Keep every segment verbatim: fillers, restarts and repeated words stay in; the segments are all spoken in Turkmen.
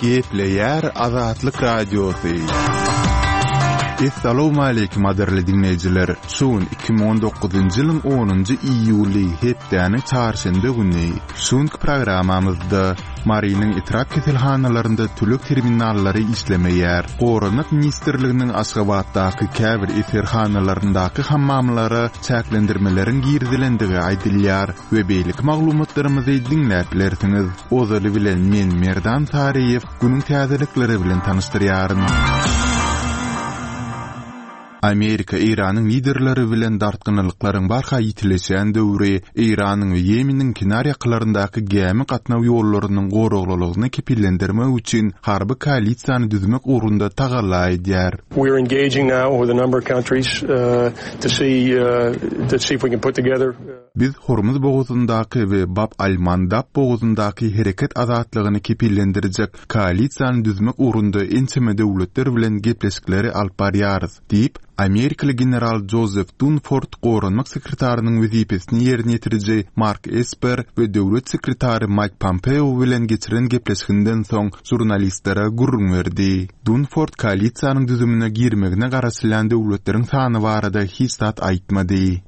Gepleýär Azatlyk Radiosy. Essalawmaleýkim gadyrly diňleýjiler! Şu gün iki müň on dokuzynjy ýylyň onunjy iýuly, hepdäniň çarşenbe güni. Şu günki programmamyzda Marynyň etrap keselhanalarynda töleg terminallary işlemeýär. Goranmak ministrliginiň Aşgabatdaky käbir eserhanalaryndaky hammamlara çäklendirmeleriň girizilendigi aýdylýar we beýleki maglumatlarymyzy diňläp bilersiňiz. Ozaly bilen men Merdan Saryýew günüň täzelikleri bilen tanyşdyrýaryn. Amerika Eýranyň liderleri bilen dartgynlylyklaryň barha ýitileşýän döwri Eýranyň we Ýemeniň kenar ýakalaryndaky gämi gatnaw ýollarynyň goraglylygyny kepillendirmek üçin harby koalisiýany düzmek ugrunda tagalla edýär. We are engaging now with a number of countries to see to see if we can put together. Biz Hormuz bogazyndaky we Bab al-Mandab bogazyndaky hereket azatlygyny kepillendirjek koalisiýany düzmek ugrunda ençeme döwletler bilen gepleşikleri alyp barýarys, diýip, amerikaly general Jozef Dunford goranmak sekretarynyň wezipesini ýerine ýetiriji Mark Esper we döwlet sekretary Maýk Pompeo bilen geçiren gepleşiginden soň žurnalistlere gürrüň berdi. Dunford koalisiýanyň düzümine girmegine garaşylýan döwletleriň sany barada hiç zat aýtmady.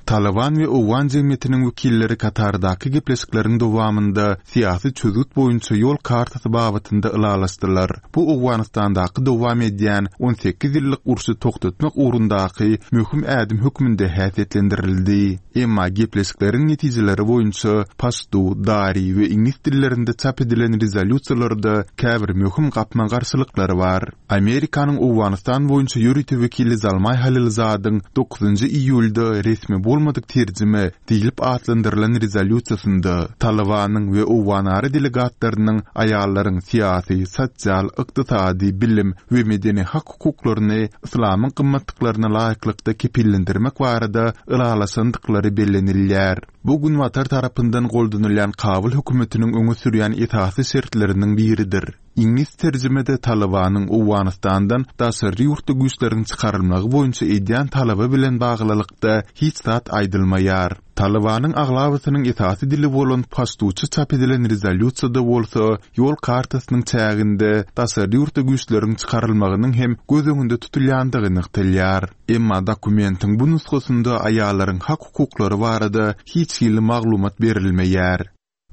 Talyban we owgan jemgyýetiniň wekilleri Katardaky gepleşikleriň dowamynda syýasy çözgüt boýunça ýol kartasy babatynda ylalaşdylar. Bu Owganystandaky dowam edýän on sekiz ýyllyk urşy togtatmak ugrundaky möhüm ädim hökmünde häsiýetlendirildi. Emma gepleşikleriň netijeleri boýunça paştu, dari we iňlis dillerinde çap edilen rezolýusiýalarda käbir möhüm gapma-garşylyklar bar. Amerikanyň Owganystan boýunça ýörite wekili Zalmaý Halilzadyň dokuzynjy iýulda resmi bolmadyk terjime diýlip atlandyrylan rezolýusiýasynda Talybanyň we owganara delegatlarynyň aýallaryň syýasy, sosial, ykdysady, bilim we medeni hak-hukuklaryny yslamyň gymmatlyklaryna laýyklykda kepillendirmek barada ylalaşandyklary bellenilýär. Bu Günbatar tarapyndan goldanylýan Kabul hökümetiniň öňe sürýän esasy şertleriniň biridir. Iňlis terjimede Talybanyň Owganystandan daşary ýurtly güýçleriň çykarylmagy boýunça edýän talaby bilen baglylykda hiç zat aýdylmaýar. Talybanyň aglabasynyň esasy dili bolan paştuça çap edilen rezolýusiýada bolsa ýol kartasynyň çäginde daşary ýurtly güýçleriň çykarylmagynyň hem göz öňünde tutulýandygy nygtalýar. Emma dokumentiň bu nusgasynda aýallaryň hak-hukuklary barada hiç hili maglumat berilmeýär.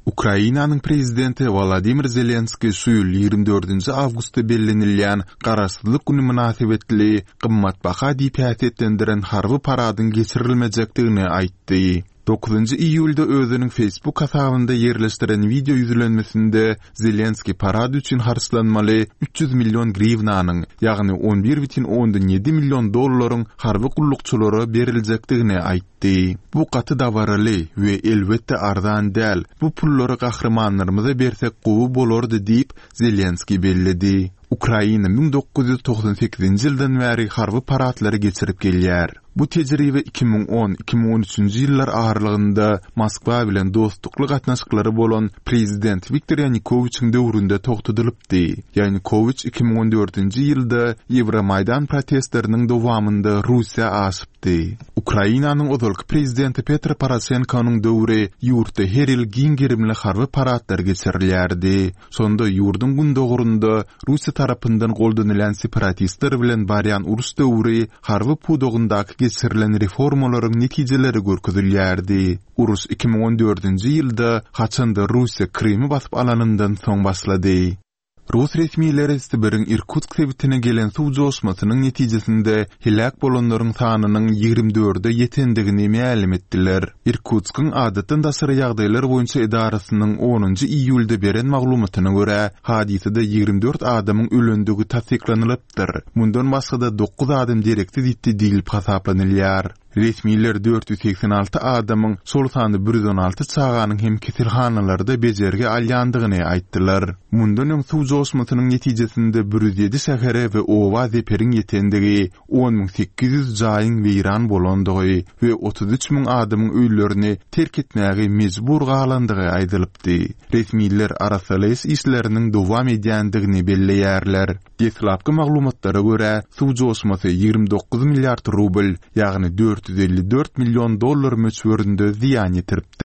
Ukrainanyň prezidenti Wolodymyr Zelenskiý şu ýyl ýigrimi dördünji awgustda bellenilýän Garaşsyzlyk güni mynasybetli gymmatbaha diýip häsiýetlendiren harby paradyň geçirilmejekdigini aýtdy. Dokuzynjy iýulda özüniň Facebook hasabynda ýerleşdiren wideo ýüzlenmesinde Zelenskiý parad üçin harçlanmaly üç ýüz million griwnanyň, ýagny on bir bütin ondan ýedi million dollaryň harby gullukçylara beriljekdigini aýtdy. Bu gaty dabaraly we elbetde arzan däl, bu pullary gahrymanlarymyza bersek gowy bolardy diýip, Zelenskiý belledi. Ukraina müň dokuz ýüz togsan sekizinji ýyldan bäri harby paradlary geçirip gelýär. Bu tejribe iki müň on, iki müň on üçünji ýyllar aralygynda Moskwa bilen dostlukly gatnaşyklary bolan prezident Wiktor Ýanukowiçiň döwründe togtadylypdy. Ýanukowiç iki müň on dördünji ýylda Ýewromaýdan protestleriniň dowamynda Russiýa aşypdy. Ukrainanyň ozalky prezidenti Petro Poroşenkonyň döwri ýurtda her ýyl giň gerimli harby paradlar geçirilýärdi. Şonda ýurduň gündogarynda Russiýa tarapyndan goldanylýan separatistler bilen barýan uruş döwri harby pudagyndaky geçirilen reformalaryň netijeleri görkezilýärdi. Uruş iki müň on dördünji ýylda, haçanda Russiýa Krymy basyp alanyndan soň başlady. Rus resmileri Sibiriň Irkutsk sebitine gelen suw joşmasynyň netijesinde heläk bolanlaryň sanynyň ýigrimi dörde ýetendigini mälim etdiler. Irkutskyň adatdan daşary ýagdaýlar boýunça edarasynyň onunjy iýulda beren maglumatyna görä, hadysada ýigrimi dört adamyň ölendigi tassyklanylypdyr. Mundan başga-da dokuz adam dereksiz ýitdi diýlip hasaplanylýar. Resmiler dört ýüz segsen alty adamyň, şol sanda bir ýüz on alty çaganyň hem keselhanalarda bejergi alýandygyny aýtdylar. Mundan öň suw joşmasynyň netijesinde bir ýüz ýedi şähere we oba zeperiň ýetendigi, on müň sekiz ýüz jaýyň weýran bolandygy we otuz üç müň adamyň öýlerini terk etmäge mejbur galandygy aýdylypdy. Resmiler arassalaýyş işleriniň dowam edýändigini belleýärler. Deslapky maglumatlara görä, suw joşmasy ýigrimi dokuz milliard rubl, ýagny dört ýüz elli dört million dollar möçberinde zyýan ýetiripdir.